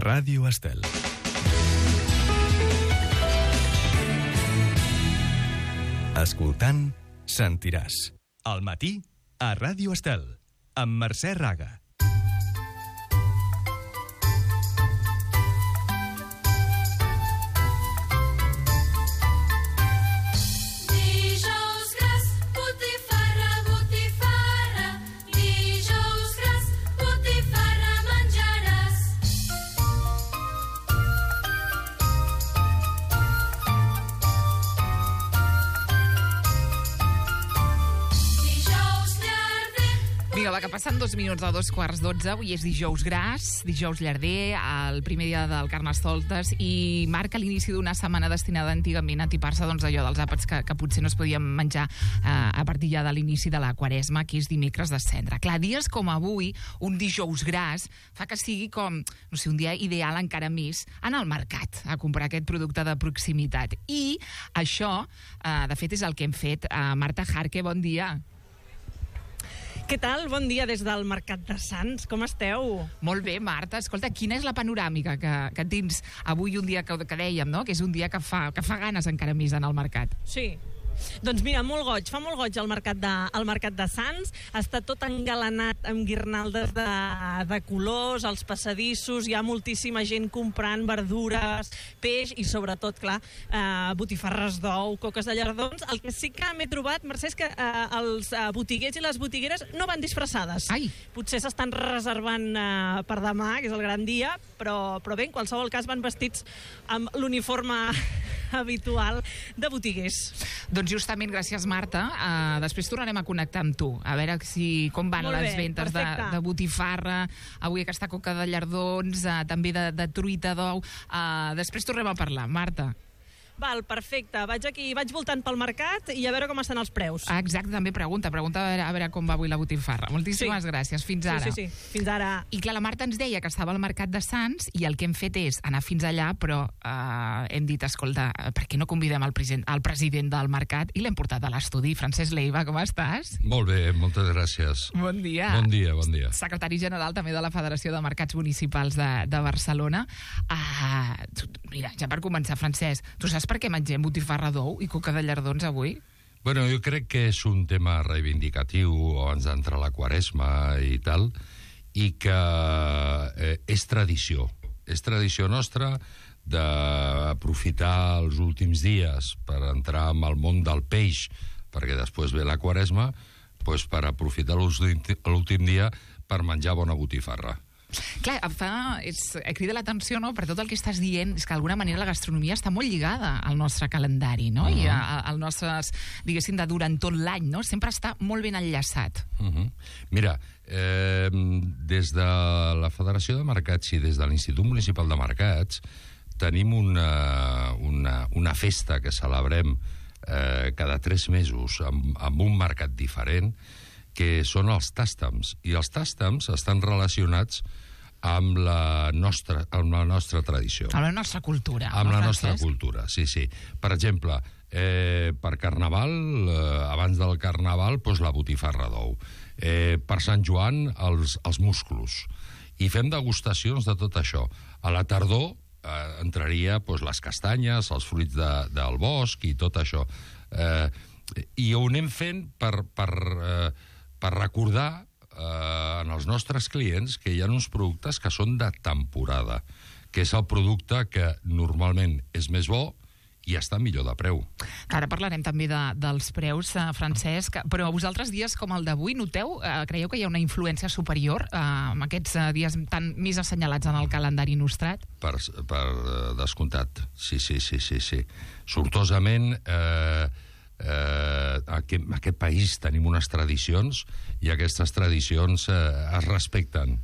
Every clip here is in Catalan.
Ràdio Estel. Escoltant, sentiràs. Al matí, a Ràdio Estel, amb Mercè Raga. Vinga, va, que passen 2 minuts de 2:15. Avui és dijous gras, dijous llarder, el primer dia del Carnestoltes, i marca l'inici d'una setmana destinada antigament a tipar-se allò dels àpats que potser no es podien menjar a partir ja de l'inici de la Quaresma, que és dimecres de Cendra. Clar, dies com avui, un dijous gras, fa que sigui com, no sé, un dia ideal encara més anar al mercat a comprar aquest producte de proximitat. I això, de fet, és el que hem fet. Marta Jarque, bon dia. Què tal? Bon dia des del Mercat de Sants. Com esteu? Molt bé, Marta. Escolta, quina és la panoràmica que tens avui, un dia que dèiem, no? Que és un dia que fa ganes encara més anar al mercat. Sí. Doncs mira, molt goig, fa molt goig al Mercat de Sants. Està tot engalanat amb guirnaldes de colors, als passadissos, hi ha moltíssima gent comprant verdures, peix i sobretot, clar, botifarres d'ou, coques de llardons. El que sí que m'he trobat, Mercè, és que els botiguers i les botigueres no van disfressades. Ai! Potser s'estan reservant per demà, que és el gran dia, però bé, en qualsevol cas van vestits amb l'uniforme habitual de botiguers. Doncs justament, gràcies, Marta. Després tornarem a connectar amb tu, a veure com van les ventes de botifarra, avui aquesta coca de llardons, també de truita d'ou. Després tornem a parlar, Marta. Val, perfecte. Vaig voltant pel mercat i a veure com estan els preus. Exacte, també pregunta a veure com va avui la botifarra. Moltíssimes gràcies, fins ara. Sí, fins ara. I clar, la Marta ens deia que estava al Mercat de Sants i el que hem fet és anar fins allà, però hem dit, escolta, per què no convidem el president del mercat i l'hem portat a l'estudi. Francesc Leiva, com estàs? Molt bé, moltes gràcies. Bon dia. Bon dia. Secretari general també de la Federació de Mercats Municipals de Barcelona. Mira, ja per començar, Francesc, tu saps per què mengem botifarra d'ou i coca de llardons avui? Bueno, jo crec que és un tema reivindicatiu abans d'entrar a la Quaresma i tal, i que és tradició. És tradició nostra d'aprofitar els últims dies per entrar en el món del peix, perquè després ve la Quaresma, doncs per aprofitar l'últim dia per menjar bona botifarra. Clar, crida l'atenció, no?, per tot el que estàs dient, és que d'alguna manera la gastronomia està molt lligada al nostre calendari, no? I al nostre, diguéssim, de durant tot l'any, no? Sempre està molt ben enllaçat. Mira, des de la Federació de Mercats i des de l'Institut Municipal de Mercats tenim una festa que celebrem cada 3 mesos amb un mercat diferent, que són els tàstems, i els tàstems estan relacionats amb la nostra tradició. Amb la nostra cultura. Amb la nostra cultura, sí. Per exemple, per Carnaval, abans del Carnaval, doncs la botifarra d'ou. Per Sant Joan, els musclos. I fem degustacions de tot això. A la tardor entraria les castanyes, els fruits del bosc i tot això. I ho anem fent per recordar en els nostres clients que hi ha uns productes que són de temporada, que és el producte que normalment és més bo i està millor de preu. Ara parlarem també dels preus, Francesc, però vosaltres dies com el d'avui creieu que hi ha una influència superior en aquests dies tan més assenyalats en el calendari nostrat? Per descomptat, sí. Sortosament, en aquest país tenim unes tradicions i aquestes tradicions es respecten.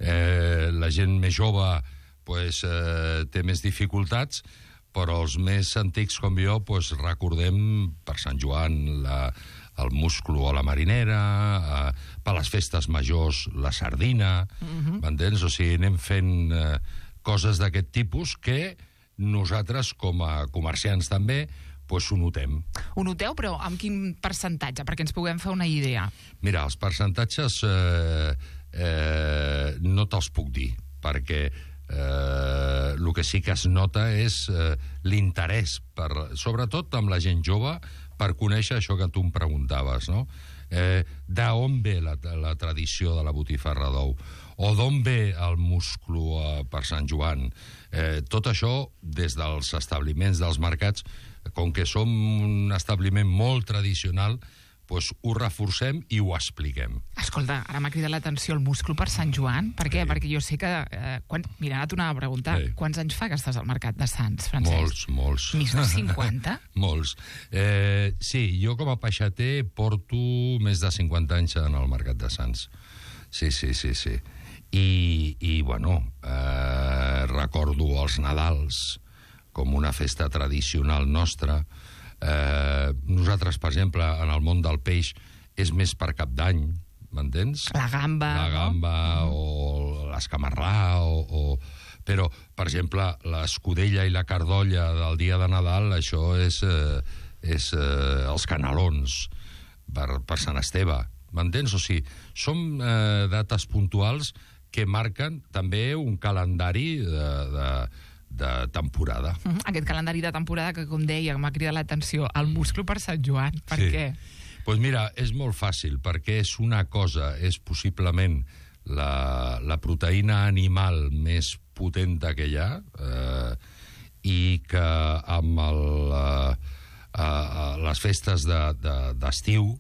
La gent més jove té més dificultats, però els més antics com jo recordem per Sant Joan el musclo a la marinera, per les festes majors la sardina, m'entens? O sigui, anem fent coses d'aquest tipus que nosaltres com a comerciants també ho notem. Ho noteu, però amb quin percentatge? Perquè ens puguem fer una idea. Mira, els percentatges no te'ls puc dir, perquè El que sí que es nota és l'interès, sobretot amb la gent jove, per conèixer això que tu em preguntaves, no? D'on ve la tradició de la botifarra d'ou? O d'on ve el musclo per Sant Joan? Tot això, des dels establiments dels mercats, com que som un establiment molt tradicional, doncs ho reforcem i ho expliquem. Escolta, ara m'ha cridat l'atenció el musclo per Sant Joan. Per què? Perquè jo sé que... Mira, ara t'ho anava a preguntar. Quants anys fa que estàs al Mercat de Sants, Francesc? Molts. Més de 50? Molts. Sí, jo com a peixater porto més de 50 anys en el Mercat de Sants. Sí. I bueno, recordo els Nadals com una festa tradicional nostra. Nosaltres, per exemple, en el món del peix és més per Cap d'Any, m'entens? La gamba, no? O l'escamarrà, però, per exemple, l'escudella i la cardolla del dia de Nadal, això és els canelons per Sant Esteve, m'entens? O sigui, són dates puntuals que marquen també un calendari de temporada. Aquest calendari de temporada que, com deia, m'ha cridat l'atenció, el musclo per Sant Joan. Per què? Doncs mira, és molt fàcil, perquè és una cosa, és possiblement la proteïna animal més potenta que hi ha, i que amb les festes d'estiu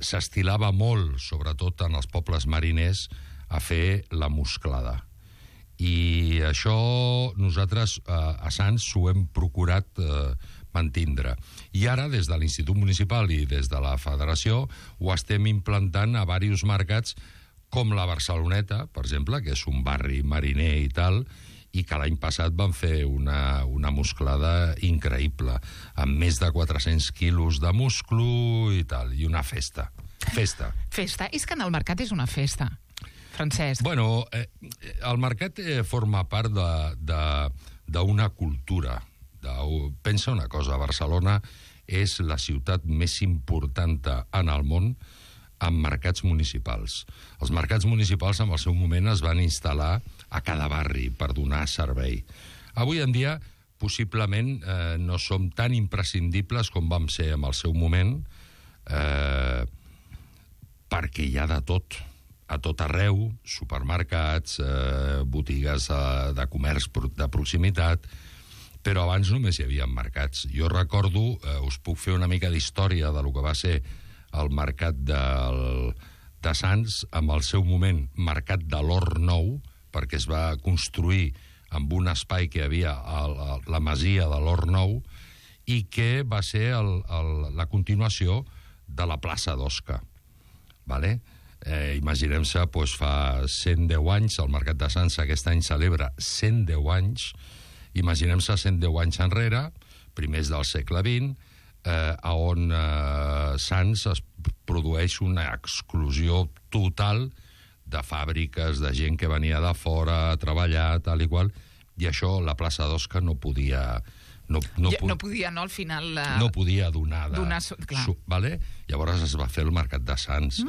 s'estilava molt, sobretot en els pobles mariners, a fer la musclada. I això nosaltres a Sants ho hem procurat mantindre. I ara, des de l'Institut Municipal i des de la Federació, ho estem implantant a diversos mercats, com la Barceloneta, per exemple, que és un barri mariner i tal, i que l'any passat van fer una musclada increïble, amb més de 400 quilos de musclo i tal, i una festa. Festa. És que en el mercat és una festa, Francesc. Bueno, el mercat forma part d'una cultura. Pensa una cosa, Barcelona és la ciutat més important en el món amb mercats municipals. Els mercats municipals en el seu moment es van instal·lar a cada barri per donar servei. Avui en dia, possiblement, no som tan imprescindibles com vam ser en el seu moment, perquè hi ha de tot. A tot arreu, supermercats, botigues de comerç de proximitat, però abans només hi havia mercats. Jo recordo, us puc fer una mica d'història de lo que va ser el mercat de Sants, amb el seu moment mercat de l'Hort Nou, perquè es va construir amb un espai que hi havia a la masia de l'Hort Nou, i que va ser la continuació de la plaça d'Osca. Vale? Imaginem-se, doncs, fa 110 anys, el Mercat de Sants aquest any celebra 110 anys, imaginem-se 110 anys enrere, primers del segle XX, on Sants es produeix una exclusió total de fàbriques, de gent que venia de fora a treballar, tal i qual, i això la plaça d'Osca no podia... No podia, no, al final... No podia donar vale? Llavors es va fer el Mercat de Sants.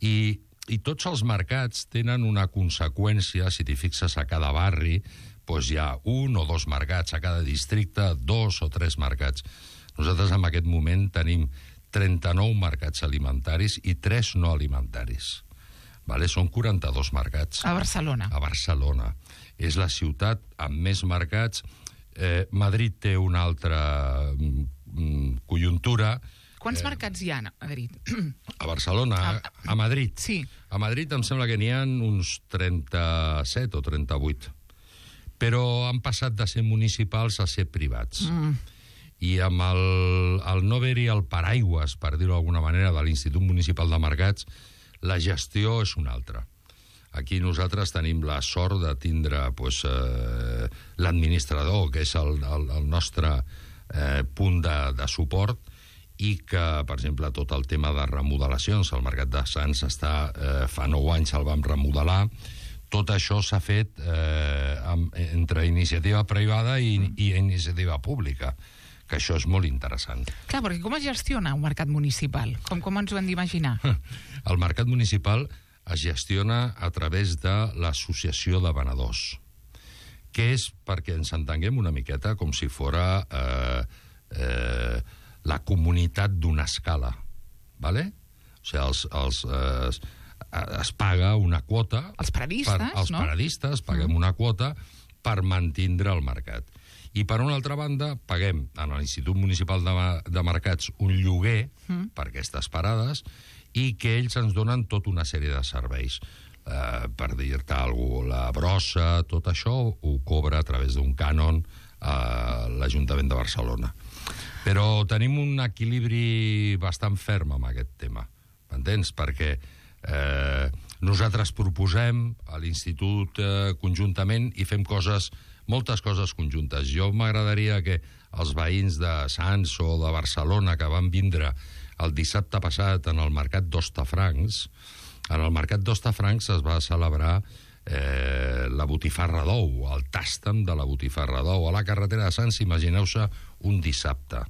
I tots els mercats tenen una conseqüència, si t'hi fixes a cada barri, doncs hi ha 1 o 2 mercats, a cada districte 2 o 3 mercats. Nosaltres en aquest moment tenim 39 mercats alimentaris i 3 no alimentaris. Vale? Són 42 mercats. A Barcelona. A Barcelona. És la ciutat amb més mercats. Madrid té una altra conjuntura. Quants mercats hi ha a Madrid? A Barcelona, a Madrid. Sí. A Madrid em sembla que n'hi ha uns 37 o 38. Però han passat de ser municipals a ser privats. I amb el no haver-hi el paraigües, per dir-ho d'alguna manera, de l'Institut Municipal de Mercats, la gestió és una altra. Aquí nosaltres tenim la sort de tindre l'administrador, que és el nostre punt de suport, i que, per exemple, tot el tema de remodelacions, el Mercat de Sants fa 9 anys el vam remodelar, tot això s'ha fet entre iniciativa privada i iniciativa pública, que això és molt interessant. Clar, perquè com es gestiona un mercat municipal? Com ens ho hem d'imaginar? El mercat municipal es gestiona a través de l'associació de venedors. que és, perquè ens entenguem una miqueta, com si fora la comunitat d'una escala, ¿vale? O sigui, es paga una quota... Els paradistes, els paradistes paguem una quota per mantindre el mercat. I, per una altra banda, paguem a l'Institut Municipal de Mercats un lloguer per aquestes parades i que ells ens donen tota una sèrie de serveis. Per dir-te alguna cosa, la brossa, tot això ho cobra a través d'un cànon a l'Ajuntament de Barcelona. Però tenim un equilibri bastant ferm amb aquest tema, m'entens? Perquè nosaltres proposem a l'Institut conjuntament i fem moltes coses conjuntes. Jo m'agradaria que els veïns de Sants o de Barcelona que van vindre el dissabte passat en el Mercat d'Hostafrancs, en el Mercat d'Hostafrancs es va celebrar la botifarra d'ou, el tàstem de la botifarra d'ou a la carretera de Sants, imagineu-se un dissabte.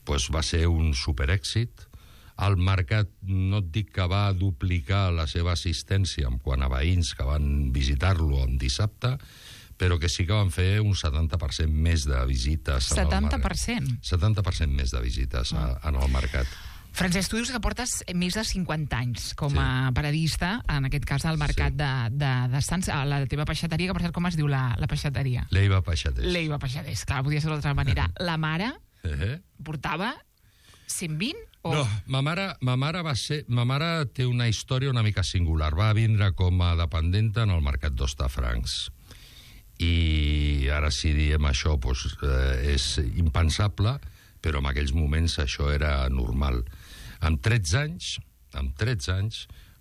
Pues va ser un superèxit. El mercat, no et dic que va duplicar la seva assistència en quant a veïns que van visitar-lo en dissabte, però que sí que van fer un 70% més de visites. 70%? 70% més de visites en el mercat. Francesc, tu dius que portes més de 50 anys com a paradista, en aquest cas al mercat de Sants, a la teva peixateria, que per cert, com es diu la peixateria? Leiva Peixaters. Leiva Peixaters, clar, podia ser d'altra manera. La mare portava 120? No, ma mare té una història una mica singular. Va vindre com a dependenta en el mercat d'Hostafrancs. I ara si diem això és impensable, però en aquells moments això era normal. Amb 13 anys,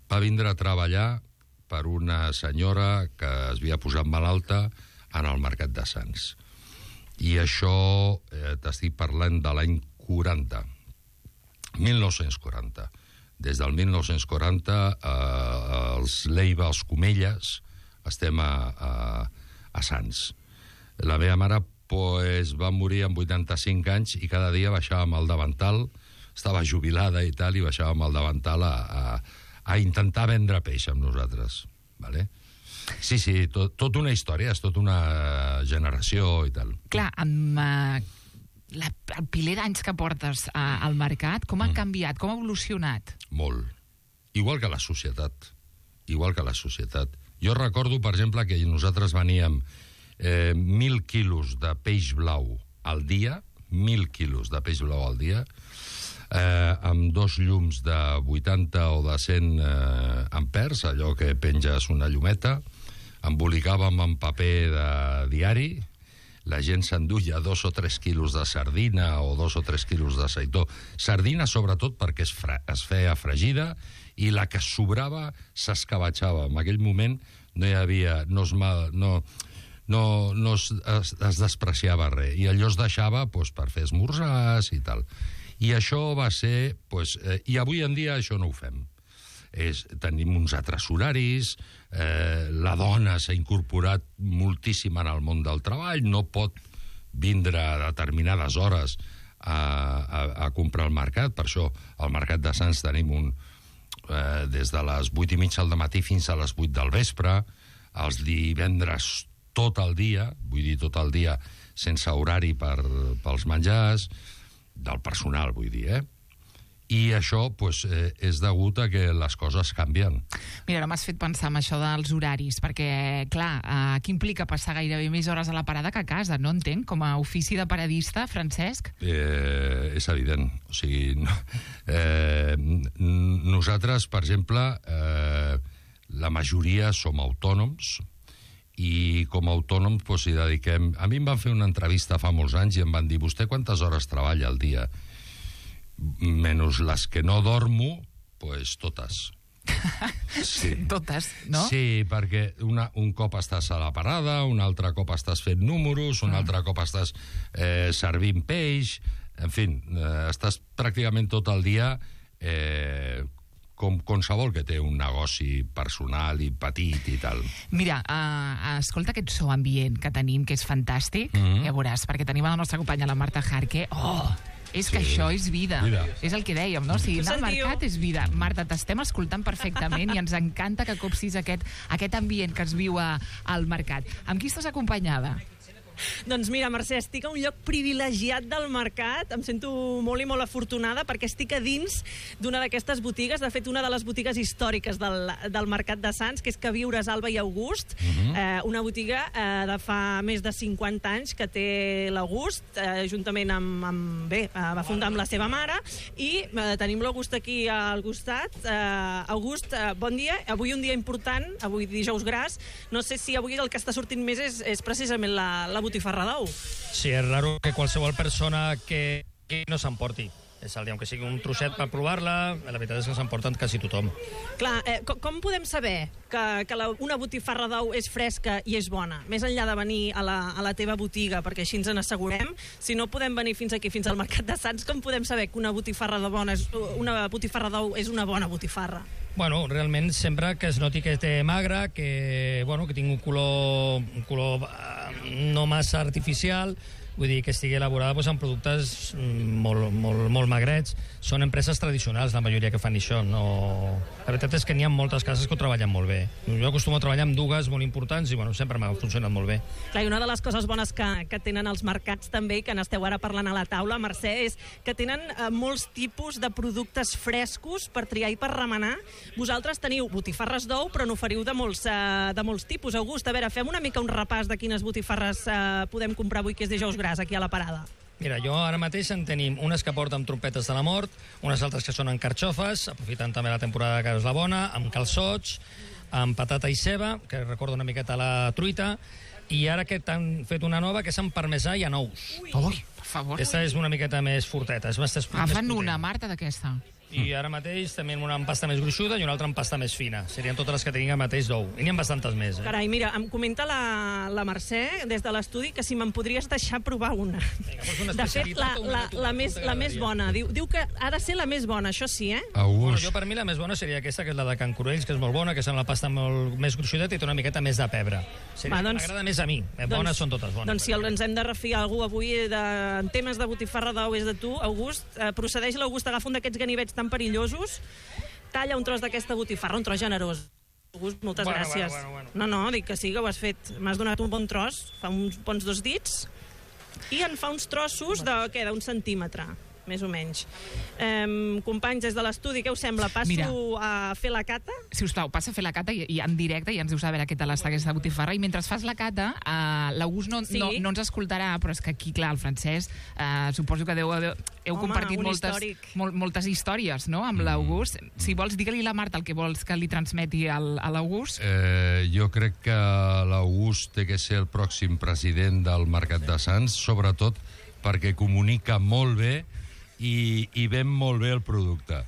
va vindre a treballar per una senyora que es havia posat malalta en el mercat de Sants. I això t'estic parlant de l'any 1940. Des del 1940, els Leiva, els Comelles, estem a Sants. La meva mare va morir amb 85 anys i cada dia baixava amb el davantal, estava jubilada i tal, i baixava amb el davantal a intentar vendre peix amb nosaltres. Vale? Sí, tot una història, és tota una generació i tal. Clar, amb el piler d'anys que portes al mercat, com ha canviat, com ha evolucionat? Molt. Igual que la societat. Jo recordo, per exemple, que nosaltres veníem 1.000 quilos de peix blau al dia, 1.000 quilos de peix blau al dia, amb 2 llums de 80 o de 100 ampers, allò que penges una llumeta, embolicàvem en paper de diari, la gent s'enduia 2 o 3 quilos de sardina o 2 o 3 quilos de seitó. Sardina, sobretot, perquè es feia fregida i la que sobrava s'escabatxava. En aquell moment no hi havia... No es despreciava res, i allò es deixava per fer esmorzars i tal. I això va ser... I avui en dia això no ho fem. Tenim uns altres horaris, la dona s'ha incorporat moltíssim en el món del treball, no pot vindre a determinades hores a comprar al mercat. Per això al mercat de Sants tenim des de les 8:30 del matí fins a les 8 del vespre, els divendres tot el dia, vull dir tot el dia, sense horari pels menjars, del personal, vull dir, I això és degut a que les coses canvien. Mira, ara m'has fet pensar en això dels horaris, perquè, clar, què implica passar gairebé més hores a la parada que a casa? No entenc, com a ofici de paradista, Francesc? És evident. O sigui, nosaltres, per exemple, la majoria som autònoms, i com a autònoms hi dediquem... A mi em van fer una entrevista fa molts anys i em van dir: vostè quantes hores treballa al dia? Menys les que no dormo, totes. Sí. Totes, no? Sí, perquè un cop estàs a la parada, un altre cop estàs fent números, un altre cop estàs servint peix, en fi, estàs pràcticament tot el dia com qualsevol que té un negoci personal i petit i tal. Mira, escolta aquest so ambient que tenim, que és fantàstic, ja veuràs, perquè tenim a la nostra companya, la Marta Jarque. És que això és vida. És el que dèiem, no? O sigui, anar al mercat és vida. Marta, t'estem escoltant perfectament i ens encanta que copsis aquest ambient que es viu al mercat. Amb qui estàs acompanyada? Doncs mira, Mercè, estic a un lloc privilegiat del mercat, em sento molt i molt afortunada perquè estic a dins d'una d'aquestes botigues, de fet una de les botigues històriques del mercat de Sants, que és Queviures Alba i August, una botiga de fa més de 50 anys que té l'August, juntament amb va fundar amb la seva mare, i tenim l'August aquí al costat. August, bon dia, avui un dia important, avui dijous gras, no sé si avui el que està sortint més és precisament la botifarra d'ou. Sí, és raro que qualsevol persona que no s'emporti. És el dia que sigui un trosset per provar-la, la veritat és que s'emporten quasi tothom. Clar, com podem saber que una botifarra d'ou és fresca i és bona? Més enllà de venir a la teva botiga, perquè així ens n'assegurem, si no podem venir fins aquí, fins al Mercat de Sants, com podem saber que una botifarra d'ou és una bona botifarra? Bueno, realment sempre que es noti que té magre, que tingui un color no massa artificial, vull dir que estigui elaborada amb productes molt magrets. Són empreses tradicionals, la majoria que fan això. No... La veritat és que n'hi ha moltes cases que ho treballen molt bé. Jo acostumo a treballar amb dues molt importants i sempre m'ha funcionat molt bé. Clar, i una de les coses bones que tenen els mercats també, que n'esteu ara parlant a la taula, Mercè, és que tenen molts tipus de productes frescos per triar i per remenar. Vosaltres teniu botifarres d'ou, però n'oferiu de molts tipus. August, a veure, fem una mica un repàs de quines botifarres podem comprar avui, que és dijous gras, aquí a la parada. Mira, jo ara mateix en tenim unes que porten trompetes de la mort, unes altres que són en carxofes, aprofitant també la temporada que és la bona, amb calçots, amb patata i ceba, que recorda una miqueta la truita, i ara que t'han fet una nova que és amb parmesà i anous. Ui, per favor. Aquesta és una miqueta més forteta. Fan una, Marta, d'aquesta. I ara mateix també una amb pasta més gruixuda i una altra amb pasta més fina. Serien totes les que tinguin mateix d'ou. I n'hi ha bastantes més. Carai, mira, em comenta la Mercè des de l'estudi que si me'n podries deixar provar una. De fet, la més bona. Diu que ha de ser la més bona, això sí, eh? Bueno, jo per mi la més bona seria aquesta, que és la de Can Corells, que és molt bona, que és amb la pasta molt més gruixudeta i té una miqueta més de pebre. M'agrada més a mi. Bones són totes bones. Doncs si ens hem de refiar algú avui en temes de botifarra d'ou és de tu, August, procedeix l'August, agafa un d'aquests ganivets tan perillosos, talla un tros d'aquesta botifarra, un tros generós. August, moltes gràcies. Bueno. No, dic que sí, que ho has fet. M'has donat un bon tros, fa uns bons 2 dits, i en fa uns trossos d'un centímetre, més o menys. Companys, des de l'estudi, què us sembla? Passo a fer la cata? Si us plau, passa a fer la cata i en directe i ens dius a veure què tal està aquesta botifarra. I mentre fas la cata, l'August no ens escoltarà, però és que aquí, clar, el Francesc, suposo que heu compartit moltes històries, no?, amb l'August. Si vols, digue-li a la Marta el que vols que li transmeti a l'August. Jo crec que l'August té que ser el pròxim president del Mercat de Sants, sobretot perquè comunica molt bé i ven molt bé el producte.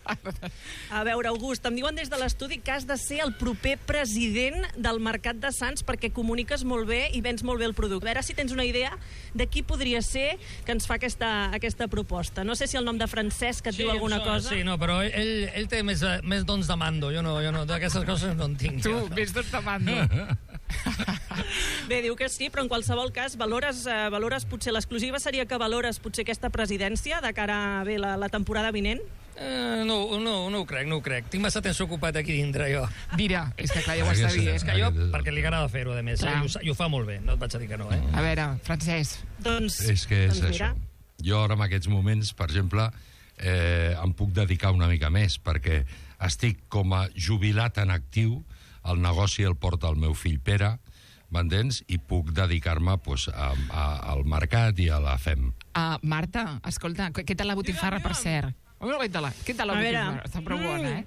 A veure, August, em diuen des de l'estudi que has de ser el proper president del Mercat de Sants perquè comuniques molt bé i vens molt bé el producte. A veure si tens una idea de qui podria ser que ens fa aquesta proposta. No sé si el nom de Francesc et diu alguna cosa. Sí, no, però ell té més dons de mando. Jo no, d'aquestes coses no en tinc. Tu, més dons de mando. Bé, diu que sí, però en qualsevol cas valores potser l'exclusiva seria que valores potser aquesta presidència de cara a la temporada vinent? No ho crec. Tinc massa temps ocupat aquí dintre, jo. Mira, és que clar, ja ho està dient. És que jo, perquè li agrada fer-ho, a més, i ho fa molt bé, no et vaig a dir que no, eh? A veure, Francesc. És que és això. Jo ara en aquests moments, per exemple, em puc dedicar una mica més, perquè estic com a jubilat en actiu, el negoci el porta el meu fill Pere, m'entens? I puc dedicar-me al mercat i a la FEM. Marta, escolta, què tal la botifarra, per cert? Què tal la botifarra? Està prou bona,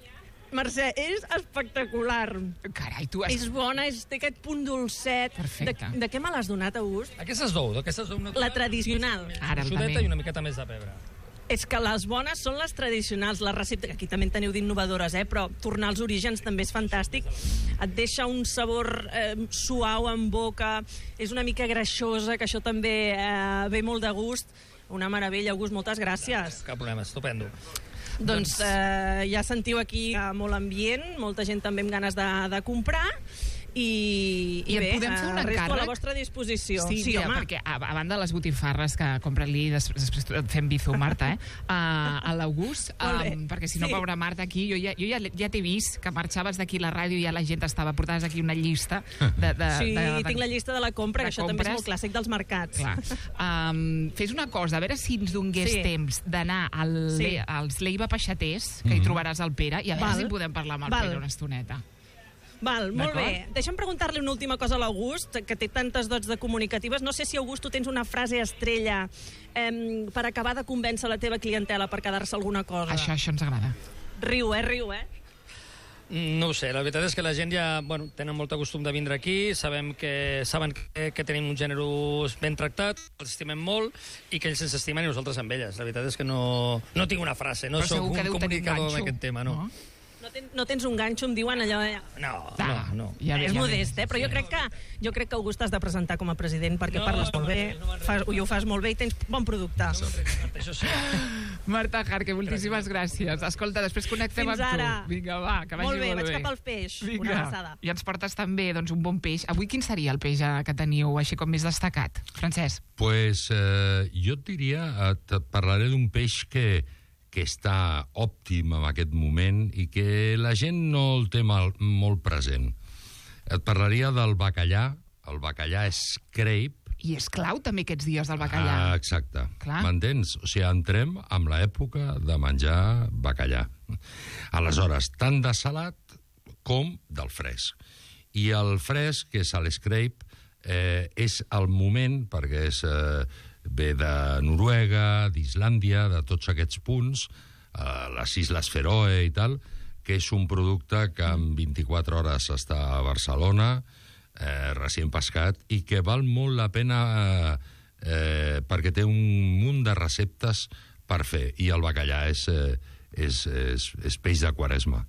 Mercè, és espectacular. Carai, tu És bona, té aquest punt dolcet. Perfecte. De què me l'has donat, August? Aquestes d'ou natural. La tradicional. Ara Xudeta també. i una miqueta més de pebre. És que les bones són les tradicionals, les receptes, aquí també en teniu d'innovadores, però tornar als orígens també és fantàstic. Et deixa un sabor suau en boca, és una mica greixosa, que això també ve molt de gust. Una meravella, August, moltes gràcies. Cap problema, estupendo. Doncs ja sentiu aquí molt ambient, molta gent també amb ganes de comprar, i bé, podem fer un resto encàrrec? a la vostra disposició. Sí, mira, home. perquè a banda de les botifarres que compra-li, després et fem bizu, Marta, a l'August, Molt bé. perquè si no, Sí. pobra Marta, aquí, jo ja t'he vist que marxaves d'aquí a la ràdio i ja la gent estava, portaves aquí una llista Sí, tinc la llista de la compra, que això també és molt clàssic dels mercats. Clar. Fes una cosa, a veure si ens dongués temps d'anar als Leiva Peixaters, que hi trobaràs el Pere, i a veure si podem parlar amb el Pere una estoneta. Val, molt bé. Deixa'm preguntar-li una última cosa a l'August, que té tantes dots de comunicatives. No sé si, August, tu tens una frase estrella per acabar de convèncer la teva clientela per quedar-se alguna cosa. Això ens agrada. Riu, riu, No ho sé, la veritat és que la gent ja tenen molt costum de vindre aquí, saben que tenim un gènere ben tractat, els estimem molt i que ells ens estimen i nosaltres amb elles. La veritat és que no tinc una frase, no soc un comunicador en aquest tema, no. No tens un ganxo, em diuen allò... No. És modest, però jo crec que August has de presentar com a president perquè parles molt bé, i ho fas molt bé i tens bon producte. Això sí. Marta Jarque, moltíssimes gràcies. Escolta, després connectem amb tu. Fins ara. Vinga, va, que vagi molt bé. Molt bé, vaig cap al peix. Una abraçada. I ens portes també un bon peix. Avui quin seria el peix que teniu així com més destacat? Francesc? Pues jo et diria, et parlaré d'un peix que està òptim en aquest moment i que la gent no el té molt present. Et parlaria del bacallà, el bacallà scrape. I és clau també aquests dies del bacallà. Exacte. Clar. M'entens? O sigui, entrem amb l'època de menjar bacallà. Aleshores, tant de salat com del fresc. I el fresc, que és l'scrape, és el moment, perquè ve de Noruega, d'Islàndia, de tots aquests punts, les Isles Feroe i tal, que és un producte que en 24 hores està a Barcelona, recient pescat, i que val molt la pena perquè té un munt de receptes per fer, i el bacallà és peix de Quaresma.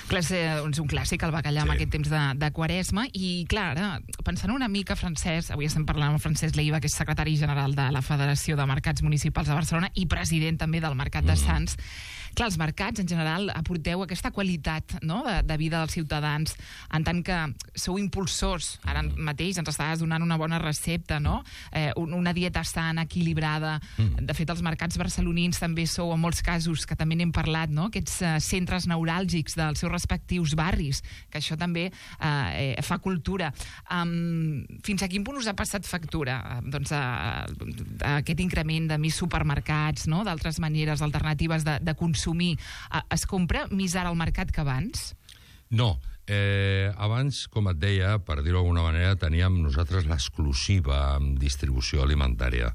Clar, és un clàssic, el bacallà, en aquest temps de Quaresma. I, clar, ara, pensant una mica, Francesc, avui estem parlant amb Francesc Leiva, que és secretari general de la Federació de Mercats Municipals de Barcelona i president també del Mercat de Sants. Clar, els mercats, en general, aporteu aquesta qualitat, no?, de vida dels ciutadans, en tant que sou impulsors. Ara mateix ens estaves donant una bona recepta, no?, una dieta sana, equilibrada. De fet, els mercats barcelonins també sou, en molts casos, que també n'hem parlat, no?, aquests centres neuràlgics dels seus respectius barris, que això també fa cultura. Fins a quin punt us ha passat factura aquest increment de més supermercats, no?, d'altres maneres alternatives de consumir? Es compra més ara al mercat que abans? No. Abans, com et deia, per dir-ho d'alguna manera, teníem nosaltres l'exclusiva en distribució alimentària.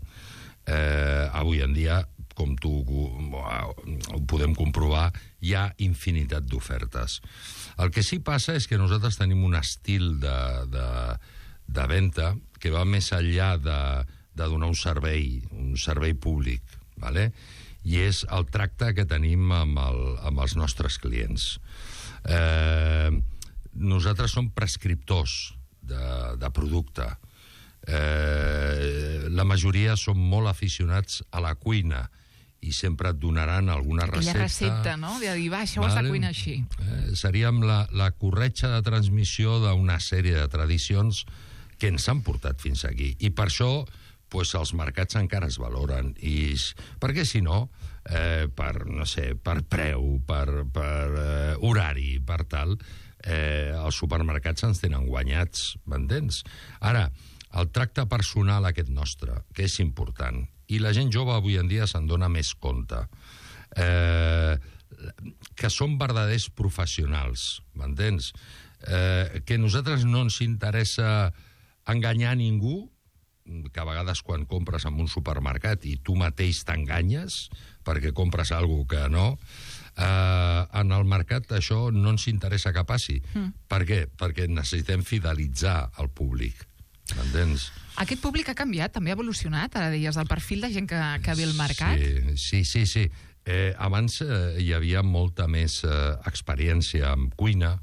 Avui en dia, com tu ho podem comprovar, hi ha infinitat d'ofertes. El que sí passa és que nosaltres tenim un estil de venda que va més enllà de donar un servei públic, ¿vale? I és el tracte que tenim amb els nostres clients. Nosaltres som prescriptors de producte. La majoria som molt aficionats a la cuina i sempre et donaran alguna recepta. Aquella recepta, no?, de dir, va, això ho has de cuinar així. Seríem la corretja de transmissió d'una sèrie de tradicions que ens han portat fins aquí. I per això els mercats encara es valoren. Perquè si no, per preu, per horari, per tal, els supermercats ens tenen guanyats, m'entens? Ara, el tracte personal aquest nostre, que és important, i la gent jove avui en dia se'n dona més compte, que són verdaders professionals, m'entens? Que a nosaltres no ens interessa enganyar ningú, que a vegades quan compres en un supermercat i tu mateix t'enganyes perquè compres alguna cosa que no, en el mercat això no ens interessa que passi. Per què? Perquè necessitem fidelitzar el públic. M'entens? Aquest públic ha canviat, també ha evolucionat, ara deies, el perfil de gent que ve al mercat? Sí. Abans hi havia molta més experiència en cuina,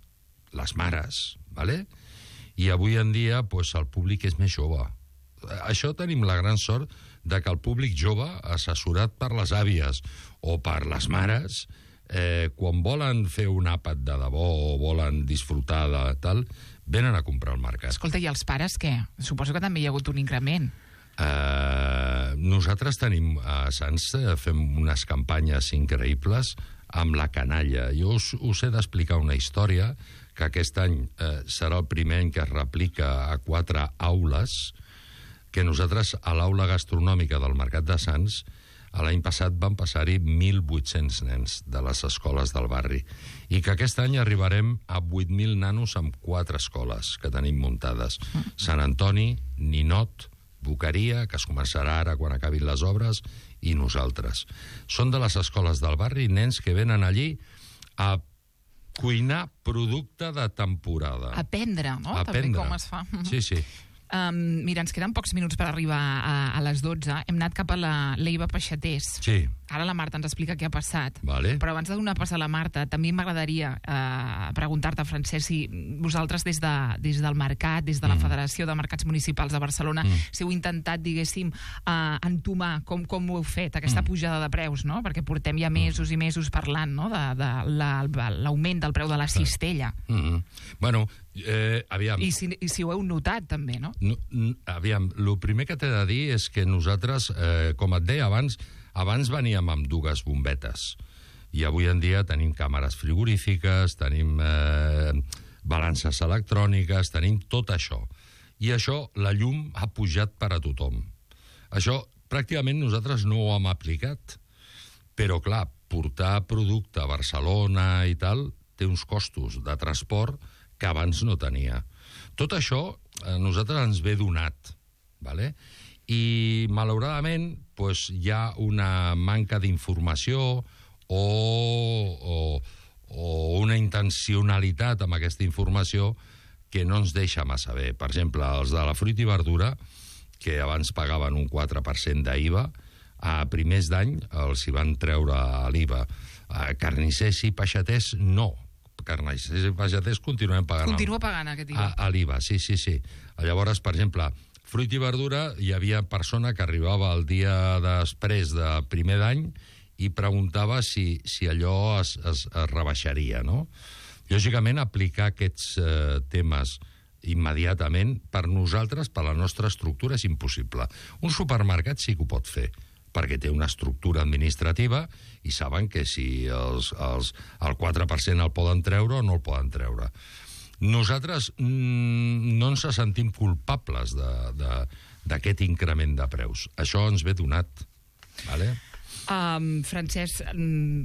les mares, ¿vale? I avui en dia el públic és més jove. Això tenim la gran sort de que el públic jove, assessorat per les àvies o per les mares, quan volen fer un àpat de debò o volen disfrutar de tal, venen a comprar al mercat. Escolta, i els pares què? Suposo que també hi ha hagut un increment. Nosaltres tenim a Sants, fem unes campanyes increïbles amb la canalla. Jo us he d'explicar una història que aquest any serà el primer any que es replica a 4 aules, que nosaltres a l'aula gastronòmica del Mercat de Sants l'any passat van passar-hi 1.800 nens de les escoles del barri i que aquest any arribarem a 8.000 nanos amb 4 escoles que tenim muntades. Sant Antoni, Ninot, Boqueria, que es començarà ara quan acabin les obres, i nosaltres. Són de les escoles del barri nens que venen allí a cuinar producte de temporada. Aprendre, no? Aprendre. També com es fa. Sí, sí. Mira, ens queden pocs minuts per arribar a les 12. Hem anat cap a l'Eiva Peixatés. Sí. Ara la Marta ens explica què ha passat. Vale. Però abans de donar pas a la Marta, també m'agradaria preguntar-te, Francesc, si vosaltres des del mercat, des de la Federació de Mercats Municipals de Barcelona, si heu intentat, diguéssim, entomar com ho heu fet, aquesta pujada de preus, no? Perquè portem ja mesos i mesos parlant, no?, de l'augment del preu de la cistella. Bueno, aviam... I si ho heu notat, també, no? Aviam, el primer que t'he de dir és que nosaltres, com et deia abans veníem amb 2 bombetes i avui en dia tenim càmeres frigorífiques, tenim balances electròniques, tenim tot això. I això, la llum ha pujat per a tothom. Això pràcticament nosaltres no ho hem aplicat, però clar, portar producte a Barcelona i tal té uns costos de transport que abans no tenia. Tot això a nosaltres ens ve donat, ¿vale? I malauradament doncs, hi ha una manca d'informació o una intencionalitat amb aquesta informació que no ens deixa massa bé. Per exemple, els de la fruita i verdura, que abans pagaven un 4% d'IVA, a primers d'any els hi van treure l'IVA. Carnissers i peixaters no. Carnissers i peixaters continuem pagant. Continua pagant aquest IVA. A l'IVA, sí. Llavors, per exemple, fruita i verdura, hi havia persona que arribava el dia després de primer d'any i preguntava si allò es rebaixaria, no? Lògicament, aplicar aquests temes immediatament, per nosaltres, per la nostra estructura, és impossible. Un supermercat sí que ho pot fer, perquè té una estructura administrativa i saben que si el 4% el poden treure o no el poden treure. Nosaltres no ens sentim culpables d'aquest increment de preus. Això ens ve donat. Vale? Francesc,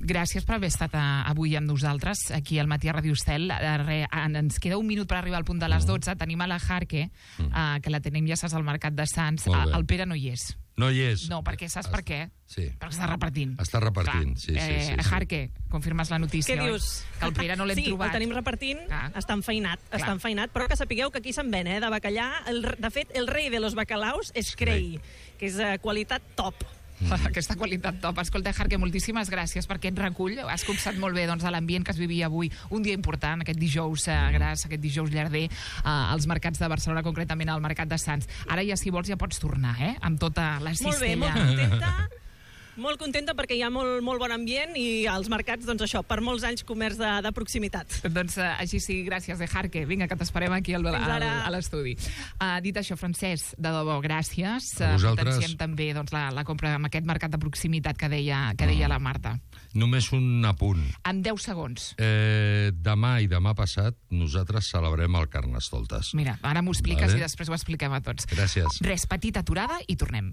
gràcies per haver estat avui amb nosaltres aquí al Matí a Ràdio Estel. Ens queda un minut per arribar al punt de les 12. Tenim a la Jarque, que la tenim, ja saps, al Mercat de Sants. El Pere no hi és. No hi és. No, perquè saps per què? Sí. Perquè està repartint. Està repartint, sí. Jarque, confirmes la notícia, Què dius? Que el Pere no l'hem trobat. Sí, el tenim repartint, està enfeinat, però que sapigueu que aquí se'n ven, de bacallà. De fet, el rei de los bacalaus és Crei, que és qualitat top. Aquesta qualitat top. Escolta, Jarque, moltíssimes gràcies per aquest recull. Has copsat molt bé l'ambient que es vivia avui, un dia important, aquest dijous gras, aquest dijous llarder, als mercats de Barcelona, concretament al Mercat de Sants. Ara ja, si vols, ja pots tornar, amb tota la cistella. Molt contenta perquè hi ha molt bon ambient i als mercats, doncs això, per molts anys comerç de proximitat. Doncs així sí, gràcies, Jarque. Vinga, que t'esperem aquí a l'estudi. Dit això, Francesc, de debò, gràcies. Potenciem també la compra amb aquest mercat de proximitat que deia la Marta. Només un apunt. En 10 segons. Demà i demà passat nosaltres celebrem el Carnestoltes. Mira, ara m'ho expliques i després ho expliquem a tots. Gràcies. Res, petita aturada i tornem.